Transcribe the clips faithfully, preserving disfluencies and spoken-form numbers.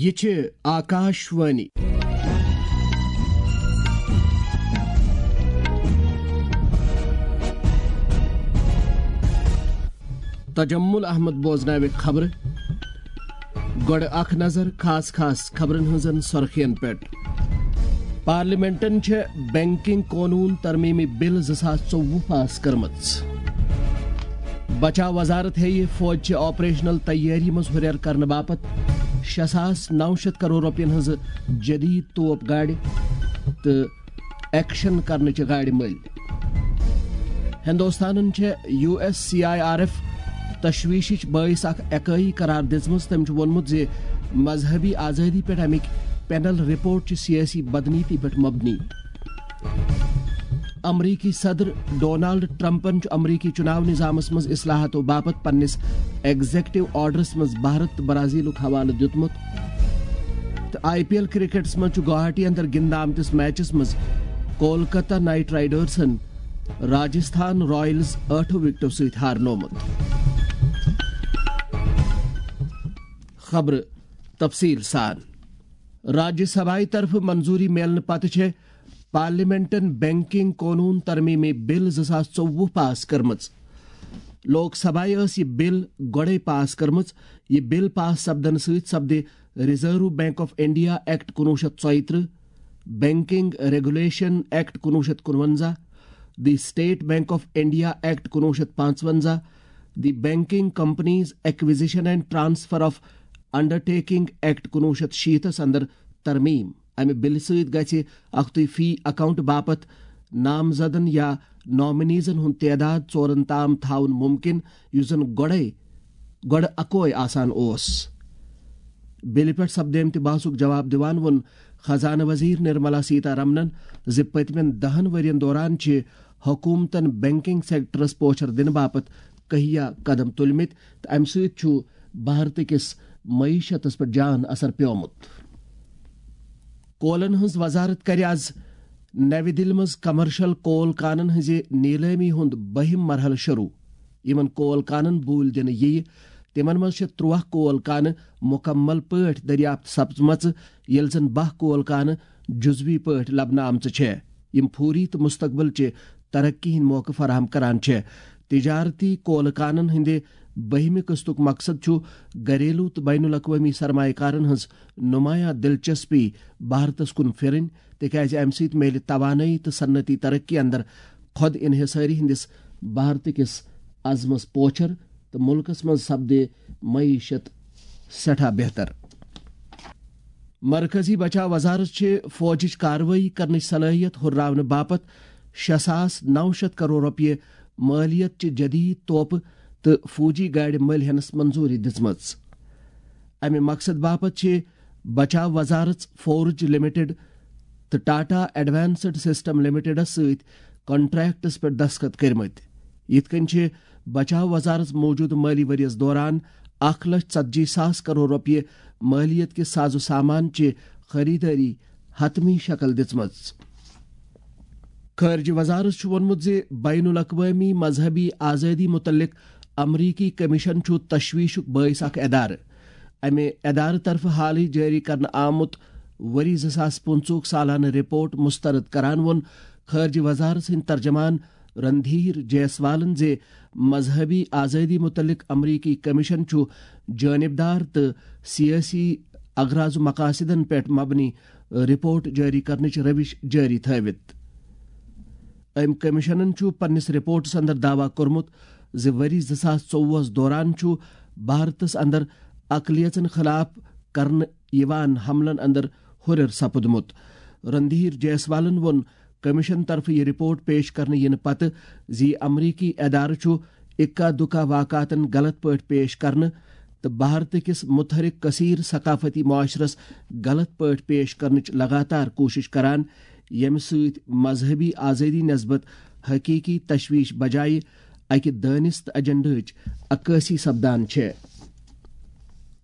یہِ چھِ آکاش وانی۔ تجمل احمد بوزناوِ خبرٕ۔ گۄڈٕ اکھ نظر خاص خاص خبرن ہٕنٛزن سرخین پٮ۪ٹھ۔ پارلیمنٹن چھےٚ بینکنگ قونوٗن ترمیمی بل زٕ ساس ژوٚوُہ پاس کٔرمٕژ۔ بچاو وزارت ہیٚیہِ فوجچہِ آپریشنل تیٲری منٛز ہُرٮ۪ر کرنہٕ باپتھ شےٚ ساس نو شیٚتھ کرور رۄپین ہٕنٛزٕ جدید توپ گاڑِ تہٕ ایکشن کرنٕچہِ گاڑِ مٔلۍ۔ ہندوستانن چھےٚ U S C I R F تشویشٕچ بٲعث اکھ اکٲیی قرار دِژمٕژ۔ تٔمۍ چھُ ووٚنمُت زِ مذہبی آزٲدی پٮ۪ٹھ اَمِکۍ پینل رپورٹ چھِ سیٲسی بدنیتی پٮ۪ٹھ مبنی۔ امریکی صدر ڈونالڈ ٹرمپن چھُ امریکی چُناو نظامس منٛز اصلاحاتو باپتھ پننِس ایگزیکٹو آرڈرس منٛز بھارت تہٕ برازیلُک حوالہٕ دیُتمُت۔ تہٕ آئی پی ایل کرکٹس منٛز چھُ گوہاٹی اندر گِنٛدنہٕ آمتِس میچس منٛز کولکتہ نائٹ رائیڈرزن راجستھان رائلز ٲٹھو وکٹو سۭتۍ ہارنومُت۔ خبرٕ تفصیل سان۔ راجیہ سبھایہِ طرفہٕ منظوٗری میلنہٕ پتہٕ چھےٚ پارلیمنٹن بینکنگ قونوٗن ترمیمی بل زٕ ساس ژوٚوُہ پاس کٔرمٕژ۔ لوک سبھایہِ ٲس یہِ بل گۄڈَے پاس کٔرمٕژ۔ یہِ بل پاس سپدنہٕ سۭتۍ سپدِ reserve bank of India act کُنوُہ شیٚتھ ژۄیہِ ترٕٛہ، بینکنگ ریگولیشن ایکٹ کُنوُہ شیٚتھ کُنوَنزاہ، the state bank of India act کُنوُہ شیٚتھ پانٛژوَنزاہ، the banking companies acquisition and transfer of undertaking act کُنوُہ شیٚتھ شیٖتھس اندر ترمیم۔ امہِ بلہِ سۭتۍ گژھِ اکھتُے فی اکاؤنٹ باپتھ نامزدن یا نامنیزن ہُنٛد تعداد ژورن تام تھاوُن ممکن، یُس زن گۄڈے، گۄڈٕ اکوے آسان اوس۔ بلہِ پٮ۪ٹھ سپدیمتہِ بحثُک جواب دِوان ووٚن خزانہٕ وزیر نرملا سیتا رمنن زِ پٔتمٮ۪ن دہن ؤرین دوران چھِ حکوٗمتن بینکنگ سیکٹرس پوچھر دِنہٕ باپتھ کہیا قدم تُلمٕتۍ تہٕ امہِ سۭتۍ چھُ بھارتہٕ کِس معیشتس پٮ۪ٹھ جان اثر پیومُت۔ کولن ہٕنٛز وزارت کرِ از نَوِ دِلہِ منٛز کمرشل کول کانن ہٕنٛزِ نیلٲمی ہُنٛد بٔہِم مرحلہٕ شروع۔ یِمن کول کانن بوٗلۍ دِنہٕ یِیہِ۔ تِمن منٛز چھِ ترٛواہ کول کانہٕ مُکمل پٲٹھۍ دٔریافت سپزمژٕ، ییٚلہِ زن باہ کول کانہٕ جزوی پٲٹھۍ لبنہٕ آمژٕ چھےٚ، یِم فوری تہٕ مستقبل چہِ ترقی ہٕنٛدۍ موقعہٕ فراہم کران چھےٚ۔ تجارتی کولہٕ کانن ہٕنٛدِ بٔہمہِ قٕسطُک مقصد چھُ گھریلو تہٕ بین الاقوٲمی سرمایہ کارن ہٕنٛز نمایاں دلچسپی بھارتس کُن پھرٕنۍ، تِکیازِ امہِ سۭتۍ میلہِ توانٲیی تہٕ صنعتی ترقی اندر خود انحصٲری ہٕنٛدِس بھارتہٕ کِس عزمس پوچھر تہٕ مُلکس منٛز سپدِ معیشت سٮ۪ٹھاہ بہتر۔ مرکزی بچاو وزارت چھِ فوجٕچ کاروٲیی کرنٕچ صلٲحیت ہُرراونہٕ باپتھ شےٚ ساس نو شیٚتھ کرور رۄپیہِ مٲلیت چہِ جدید توپہٕ تہٕ فوجی گاڑِ مٔلۍ ہٮ۪نس منظوٗری دِژمٕژ۔ امہِ مقصد باپتھ چھِ بچاو وزارت فورج لمیٹڈ تہٕ ٹاٹا ایڈوانسڈ سسٹم لمیٹڈس سۭتۍ کانٹریکٹس پٮ۪ٹھ دستخط کٔرمٕتۍ۔ یِتھ کٔنۍ چھِ بچاو وزارت موٗجوٗدٕ مٲلی ؤرۍ یَس دوران اکھ لچھ ژتجی ساس کرور رۄپیہِ مٲلیت کہِ ساز و سامان چہِ خریدٲری حتمی شکل دِژمٕژ۔ خارجہ وزارت چھُ ووٚنمُت زِ بین الاقوٲمی مذہبی آزٲدی مُتعلق امریکی کمیشن چھُ تشویشُک بٲعث اکھ ادارٕ۔ امہِ ادارٕ طرفہٕ حالٕے جٲری کرنہٕ آمُت ؤری زٕ ساس پٕنٛژٕہُک سالانہٕ رپورٹ مسترد کران ووٚن خارجہ وزارت سٕنٛدۍ ترجمان رندھیر جیسوالن زِ مذہبی آزٲدی مُتعلق امریکی کمیشن چھُ جانبدار تہٕ سیٲسی اغراض و مقاصدن پٮ۪ٹھ مبنی رپورٹ جٲری کرنٕچ روش جٲری تھٲوِتھ۔ أمۍ کمیشنن چھُ پننِس رپورٹس اندر دعویٰ کوٚرمُت زِ ؤری زٕ ساس ژوٚوُہس دوران چھُ بھارتس اندر اقلیژن خلاف کرنہٕ یِوان حملن اندر ہُرٮ۪ر سپُدمُت۔ رندھیر جیسوالن ووٚن کمیشن طرفہٕ یہِ رپورٹ پیش کرنہٕ یِنہٕ پتہٕ زِ یہِ امریکی ادارٕ چھُ اکا دُکا واقعاتن غلط پٲٹھۍ پیش کرنہٕ تہٕ بھارتہٕ کِس متحرک کثیر ثقافتی معاشرس غلط پٲٹھۍ پیش کرنٕچ لگاتار کوٗشش کران، ییٚمہِ سۭتۍ مذہبی آزٲدی نسبت حقیقی تشویش بجایہِ اکہِ دٲنستہٕ ایجنڈاہٕچ عکٲسی سپدان چھےٚ۔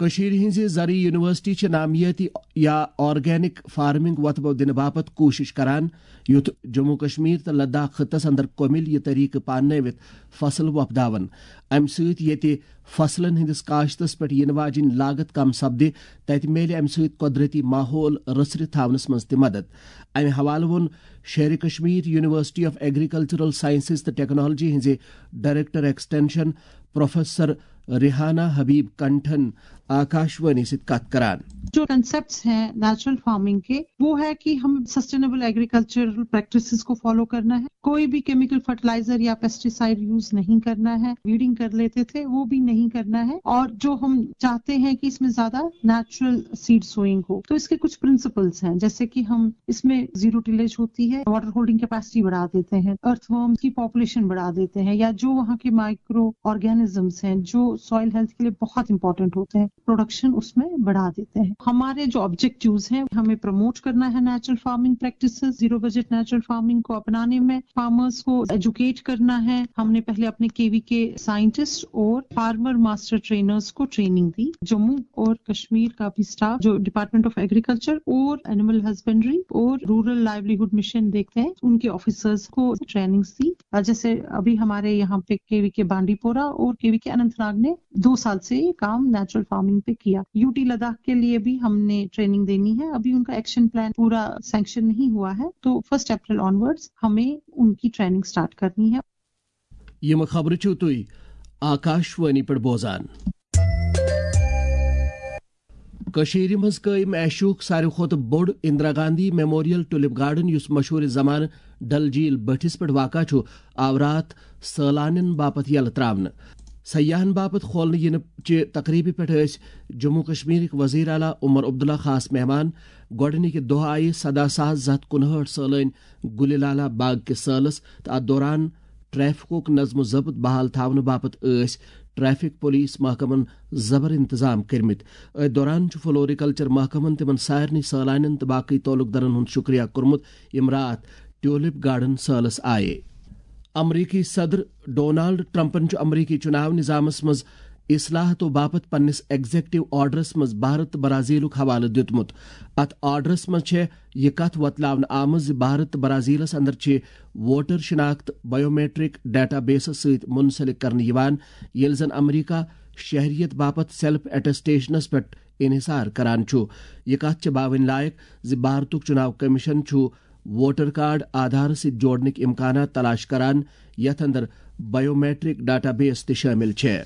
کٔشیٖرِ ہٕنٛزِ زرعی یونیورسٹی چھِ نامیٲتی یا آرگینک فارمنگ وۄتھٕ بو دِنہٕ باپتھ کوٗشِش کران، یُتھ جموں کشمیر تہٕ لداخ خطس اندر کۄمِل یہِ طریقہٕ پاننٲوِتھ فصل وۄپداون۔ امہِ سۭتۍ ییٚتہِ فصلن ہٕنٛدِس کاشتس پٮ۪ٹھ یِنہٕ واجیٚنۍ لاگت کم سپدِ، تتہِ میلہِ امہِ سۭتۍ قۄدرتی ماحول رژھرِ تھاونس منٛز تہِ مدد۔ امہِ حوالہٕ ووٚن Sher e Kashmir university of agricultural sciences تہٕ ٹیکنالوجی ہٕنٛزِ director extension professor Rehana Habib کنٹھن آکاشوانی سۭتۍ کتھ کران۔ جو کنسپٹس ہیں نیچرل فارمنگ کے، وہ ہے کہ ہم سسٹینیبل ایگریکلچرل پریکٹسز کو فالو کرنا ہے۔ کوئی بھی کیمیکل فرٹیلائزر یا پیسٹیسائیڈ یوز نہیں کرنا ہے۔ ویڈنگ کر لیتے تھے، وہ بھی نہیں کرنا ہے۔ اور جو ہم چاہتے ہیں کہ اس میں زیادہ نیچرل سیڈ سوئنگ ہو، تو اس کے کچھ پرنسپلز ہیں، جیسے کہ ہم اس میں زیرو ٹیلیج ہوتی ہے، واٹر ہولڈنگ کیپیسٹی بڑھا دیتے ہیں، ارتھ ورمز کی پاپولیشن بڑھا دیتے ہیں، یا جو وہاں کے مائکرو آرگینزمز ہیں جو سوائل ہیلتھ کے لیے بہت امپورٹنٹ ہوتے ہیں، پروڈکشن اس میں بڑھا دیتے ہیں۔ ہمارے جو آبجیکٹیوز ہیں، ہمیں پروموٹ کرنا ہے natural farming practices, zero budget natural farming کو اپنانے میں، فارمرز کو ایجوکیٹ کرنا ہے۔ ہم نے پہلے اپنے کےوی کے سائنٹسٹ اور فارمر ماسٹر ٹرینرز کو ٹریننگ دی۔ جموں اور کشمیر کا بھی اسٹاف جو ڈپارٹمنٹ آف ایگریکلچر اور اینیمل ہسبینڈری اور رورل لائیولیہڈ مشن دیکھتے ہیں، ان کے آفیسرز کو ٹریننگز دی۔ اور جیسے ابھی ہمارے یہاں پہ کےوی کے بانڈی پورہ اور کےوی کے اننت ناگ نے دو سال سے یہ کام نیچرل فارمنگ پہ کیا۔ یو ٹی لداخ کے لیے بھی ہم نے ٹریننگ دینی ہے، ابھی ان کا ایکشن پلان پورا سینکشن نہیں ہوا ہے، تو فرسٹ اپریل آنورڈز ہمیں ان کی ٹریننگ سٹارٹ کرنی ہے۔ یِم خبرٕ چھِو تُہۍ آکاشوانی پٮ۪ٹھ بوزان۔ کٔشیٖرِ منٛز قٲیِم ایشیاہُک ساروی کھۄتہٕ بوٚڑ Indira Gandhi memorial tulip garden, یُس مشہوٗر زمانہٕ ڈل جھیل بٔٹھِس پٮ۪ٹھ واقع چھُ، آو راتھ سٲلانٮ۪ن باپتھ یلہٕ ترٛاونہٕ۔ سیاحن باپتھ کھولنہٕ یِنہٕ چہِ تقریبہِ پٮ۪ٹھ ٲسۍ جموں کشمیرٕکۍ وزیر اعلیٰ عمر عبداللہ خاص مہمان۔ گۄڈٕنِکہِ دۄہ آیہِ سداہ ساس زٕ ہتھ کُنہٲٹھ سٲلٲنۍ گُلہِ لالہ باغ کِس سٲلس تہٕ اتھ دوران ٹریفکُک نظم و ضبط بحال تھاونہٕ باپتھ ٲسۍ ٹریفک پولیس محکمن زبر انتظام کٔرمٕتۍ۔ أتھۍ دوران چھُ فلوریکلچر محکمن تِمن سارنٕے سٲلانٮ۪ن تہٕ باقٕے تعلق دارن ہُنٛد شُکریہ کوٚرمُت، یِم راتھ ٹیولپ گارڈن سٲلس آیے۔ امریکی صدر ڈونالڈ ٹرمپن چھُ امریکی چُناو نظامس منٛز اصلاحاتو باپتھ پننِس ایگزیکٹو آرڈرس منٛز بھارت تہٕ برازیلُک حوالہٕ دیُتمُت۔ اتھ آرڈرس منٛز چھےٚ یہِ کتھ وۄتلاونہٕ آمٕژ زِ بھارت تہٕ برازیلس اندر چھِ ووٹر شناخت بایومیٹرک ڈیٹا بیسس سۭتۍ منسلک کرنہٕ یِوان، ییٚلہِ زن امریکہ شہریت باپتھ سیلف اٹیسٹیشنس پٮ۪ٹھ انحصار کران چھُ۔ یہِ کتھ چھِ باوٕنۍ لایق زِ بھارتُک چُناو کمیشن چھُ ووٹر کارڈ آدھارس سۭتۍ جوڑنٕکۍ امکانات تلاش کران، یتھ اندر بایومیٹرک ڈیٹا بیس تہِ شٲمِل چھےٚ۔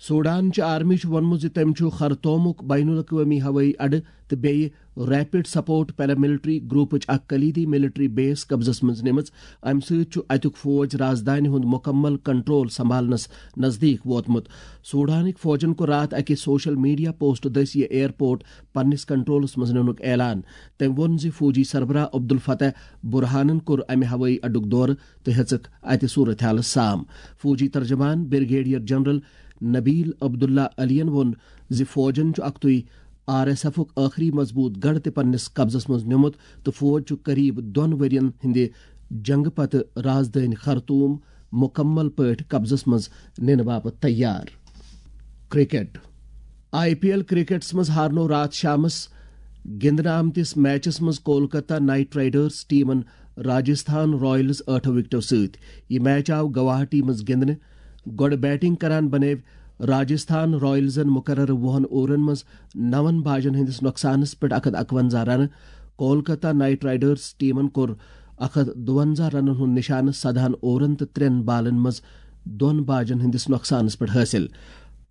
سوڈان چہِ آرمی چھُ ووٚنمُت زِ تٔمۍ چھُ خرطومُک بین الاقوٲمی ہوٲیی اڈٕ تہٕ بیٚیہِ ریپڈ سپورٹ پیراملٹری گروپٕچ اکھ کلیدی ملٹری بیس قبضس منٛز نِمٕژ۔ امہِ سۭتۍ چھُ اتیُک فوج رازدانہِ ہُنٛد مکمل کنٹرول سنبھالنس نزدیک ووتمُت۔ سوڈانٕکۍ فوجن کوٚر راتھ اکہِ سوشل میڈیا پوسٹ دٔسۍ یہِ ایئرپورٹ پننِس کنٹرولس منٛز نِنُک اعلان۔ تٔمۍ ووٚن زِ فوجی سربراہ عبدالفتح برہانن کوٚر امہِ ہوٲیی اڈُک دورٕ تہٕ ہیٚژٕکھ اتہِ صورت حالس سام۔ فوجی ترجمان بریگیڈیئر جنرل نبیل عبداللہ علین ووٚن زِ فوجن چھُ اکتُے آر ایس ایفُک ٲخری مضبوط گڑھ تہِ پننِس قبضس منٛز نیومُت تہٕ فوج چھُ قریب دۄن ؤرین ہٕنٛدِ جنگہٕ پتہٕ رازدٲنۍ خرطوم مکمل پٲٹھۍ قبضس منٛز نِنہٕ باپتھ تیار۔ کرکٹ۔ آئی پی ایل کرکٹس منٛز ہارنوو راتھ شامس گِنٛدنہٕ آمتِس میچس منٛز کولکتہ نائٹ رائیڈرز ٹیمن راجستھان رائلز ٲٹھو وکٹو سۭتۍ۔ یہِ میچ آو گواہاٹی منٛز گِنٛدنہٕ۔ گۄڈٕ بیٹنگ کران بنٲوۍ راجستھان رائلزن مقررٕ وُہن اوورن منٛز نون باجن ہٕنٛدِس نۄقصانس پٮ۪ٹھ اکھ ہتھ اکونزہ رنہٕ۔ کولکتہ نائٹ رائیڈرز ٹیمن کوٚر اکھ ہتھ دُونزہ رنن ہُنٛد نشانہٕ سدہن اوورن تہٕ ترٛٮ۪ن بالن منٛز دۄن باجن ہٕنٛدِس نۄقصانس پٮ۪ٹھ حٲصِل۔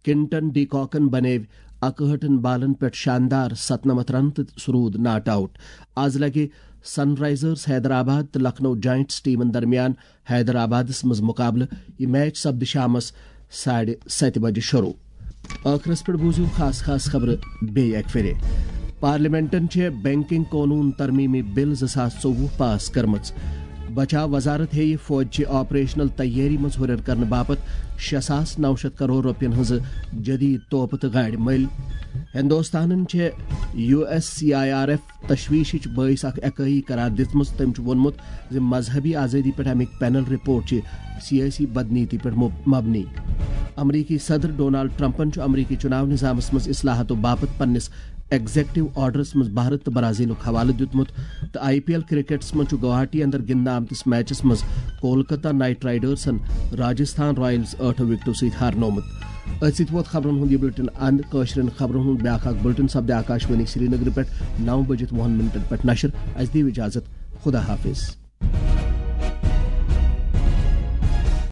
کنٹن ڈی کاکن بنٲوۍ اکہٲٹھن بالن پٮ۪ٹھ شاندار ستنمتھ رن تہٕ سُہ روٗد ناٹ آوٹ۔ از لگہِ سن رائزرز حیدرآباد تہٕ لکھنؤ جائنٹس ٹیمن درمیان حیدرآبادس منٛز مقابلہٕ۔ یہِ میچ سپدِ شامس ساڑِ ستہِ بجہِ شروع۔ ٲخرس پٮ۪ٹھ بوٗزِو خاص خاص خبرٕ بیٚیہِ اکہِ پھِرِ۔ پارلیمنٹن چھےٚ بینکنگ قونوٗن ترمیمی بل زٕ ساس ژوٚوُہ پاس کٔرمٕژ۔ بچاو وزارت ہیٚیہِ فوجچہِ آپریشنل تیٲری منٛز ہُرٮ۪ر کرنہٕ باپتھ شےٚ ساس نو شیٚتھ کرور رۄپین ہٕنٛزٕ جدید توپہٕ تہٕ گاڑِ مٔلۍ۔ ہندوستانن چھےٚ U S C I R F تشویشٕچ بٲعث اکھ اکٲیی قرار دِژمٕژ۔ تٔمۍ چھُ ووٚنمُت زِ مذہبی آزٲدی پٮ۪ٹھ اَمِکۍ پینل رپورٹ چھِ سیٲسی بدنیتی پٮ۪ٹھ مب-، مبنی۔ امریکی صدر ڈونالڈ ٹرمپن چھُ امریکی چُناو نظامس منٛز اصلاحاتو باپتھ پننِس ایگزیکٹو آرڈرس منٛز بھارت تہٕ برازیلُک حوالہٕ دیُتمُت، تہٕ آئی پی ایل کرکٹس منٛز چھُ گوہاٹی اندر گِنٛدنہٕ آمتِس میچس منٛز کولکتہ نائٹ رائیڈرسن راجستھان رائلز ٲٹھو وکٹو سۭتۍ ہارنومُت۔ أتھۍ سۭتۍ ووت خبرن ہُنٛد یہِ بُلٹن اند۔ کٲشرٮ۪ن خبرن ہُنٛد بیٛاکھ اکھ بُلٹن سپدِ آکاشوانی سرینگرٕ پٮ۪ٹھ نو بجِتھ وُہن منٹن پٮ۪ٹھ نشر۔ اسہِ دِیِو اجازت۔ خدا حافظ۔